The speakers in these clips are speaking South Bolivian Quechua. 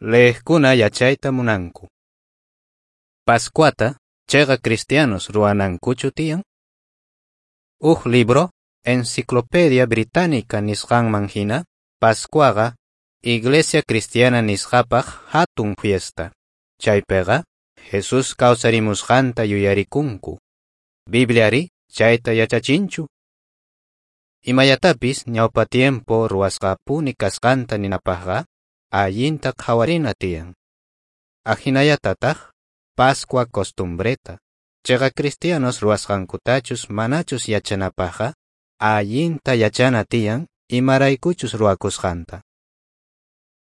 Leejkuna yachayta munanku. Pascuata cheqa cristianos ruwanankuchu tiyan? Uj libro, Enciclopedia Británica nisqanman hina, Pascuaqa Iglesia cristiana nisqapaq hatun fiesta. Chaypiqa Jesús kawsarimusqanta yuyarikunku. Bibliari chayta yachachinchu. Imallatapis ñawpa tiempo ruwasqapuni kasqanta ninapaqqa allinta qhawarina tiyan. Ajinallatataq Pascua costumbreta. Cheqa cristianos ruwasqankutachus manachus yachanapaqqa allinta yachana tiyan imaraykuchus ruwakusqanta.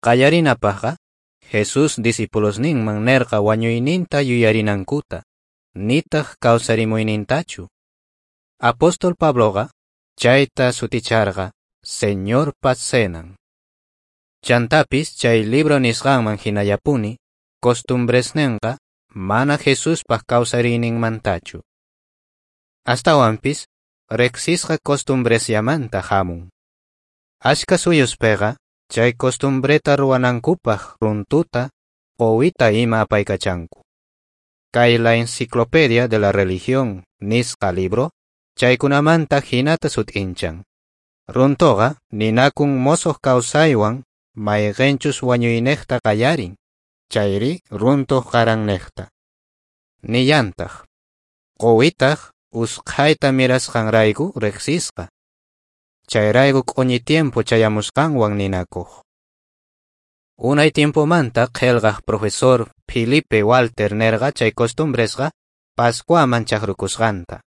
Qallarinapaqqa Jesús discipulosninman nerqa wañuyninta yuyarinankuta, nitaq kawsarimuynintachu. Apóstol Pabloqa chayta suticharqa Señorpa cenan. Chantapis chay libro nisqanman hinallapuni costumbresninqa mana Jesuspaq kawsariyninmantachu. Astawanpis riqsisqa costumbresllamanta hamun. Ashka suyuspiqa chay costumbreta ruwanankupaq runtuta, quwita ima apaykachanku. Kay La Enciclopedia de la Religión nisqa libro chaykunamanta hinata sut'inchan. Runtuqa ninakun mosoq kawsaywan mayqinchus wañuynejta qallarin, chayri runtuq qarannejta. Nillantaq, quwitaq usqhayta mirasqanrayku riqsisqa. Chayrayku q'uñi tiempo chayamusqanwan ninakuq. Unay tiempomanta qillqaq profesor Philippe Walter nerqa chay costumbresqa Pascuaman chaqrukusqanta.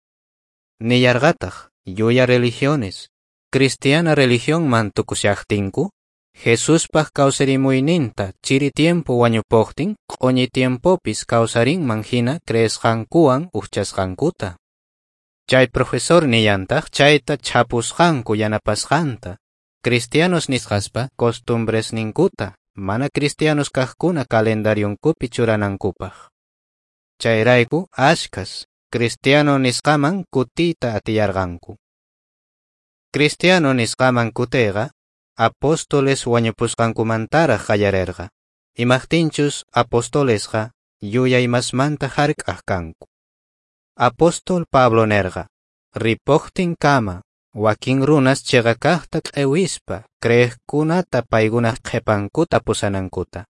Nillarqataq llulla religiones, cristiana religionman tukushaqtinku, Jesuspaq kawsarimuyninta chiri tiempo wañupuqtin q'uñi tiempopis kawsarinman hina creesqankuwan ujchasqankuta. Chay profesor nillantaq chayta chhapusqanku yanapasqanta, cristianos nisqaspa costumbresninkuta mana cristianos kaqkuna calendarionkupi churanankupaq. Chayrayku ashkas cristiano nisqaman kutiyta atiyarqanku. Cristiano nisqaman kutiyqa apóstoles wañupusqankumantaraq qallarerqa. Imaqtinchus apostolesqa yuyaymasmanta hark'aq kanku. Apóstol Pablo nerqa, ripuqtinkama wakin runas cheqa kaqta q'ewispa creeqkunata paykunaq qhipankuta pusanankuta.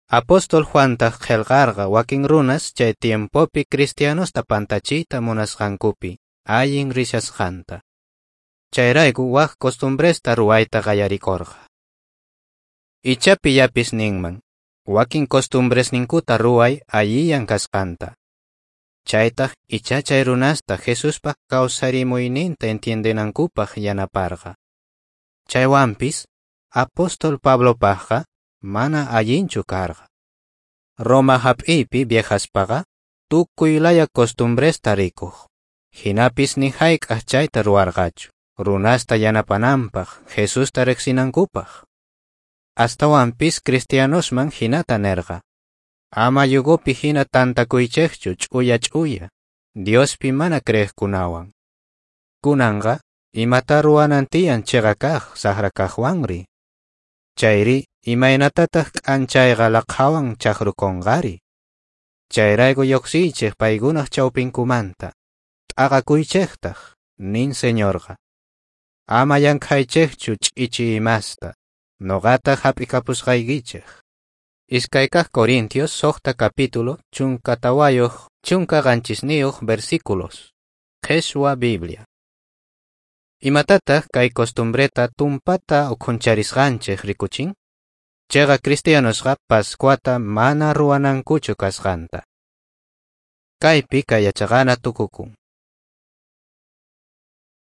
Apóstol Juantaq qillqarqa wakin runas chay tiempopi cristianosta pantachiyta munasqankupi allin rishasqanta. Chayrayku wak costumbresta ruwayta qallarikurqa. Icha pillapis ninman, wakin costumbresninkuta ruway allillan kasqanta. Chaytaq icha chay runasta Jesuspaq kawsarimuyninta entiendenankupaq yanaparqa. Chaywanpis apóstol Pablopaqqa mana allinchu karqa. Roma hap'iypi viajaspaqa tukuy laya costumbresta rikuq. Hinapis ni hayk'aq chayta ruwarqachu, runasta yanapananpaq, Jesusta riqsinankupaq. Astawanpis cristianosman hinata nerqa. Ama yugopi hina tantakuychejchu ch'uya ch'uya, Diospi mana creeqkunawan. Kunanqa imata ruwanan tiyan cheqa kaq saqra kaqwanri. Chayri imaynatataq k'anchayqa laqhawan chaqrukunqari. Chayrayku lluqsiychej paykunaq chawpinkumanta, t'aqakuychejtaq, nin Señorqa. Ama llankhaychejchu ch'ichi imasta, noqataq hap'ikapusqaykichej. Iskaykaq Corintios 6 capítulo 14 17 versículos. Qheshwa Biblia. Imatataq kay costumbreta tumpata ukhuncharisqanchej rikuchin? Cheqa cristianosqa Pascuata mana ruwanankuchu kasqanta. Kaypi kay yachaqana tukukun.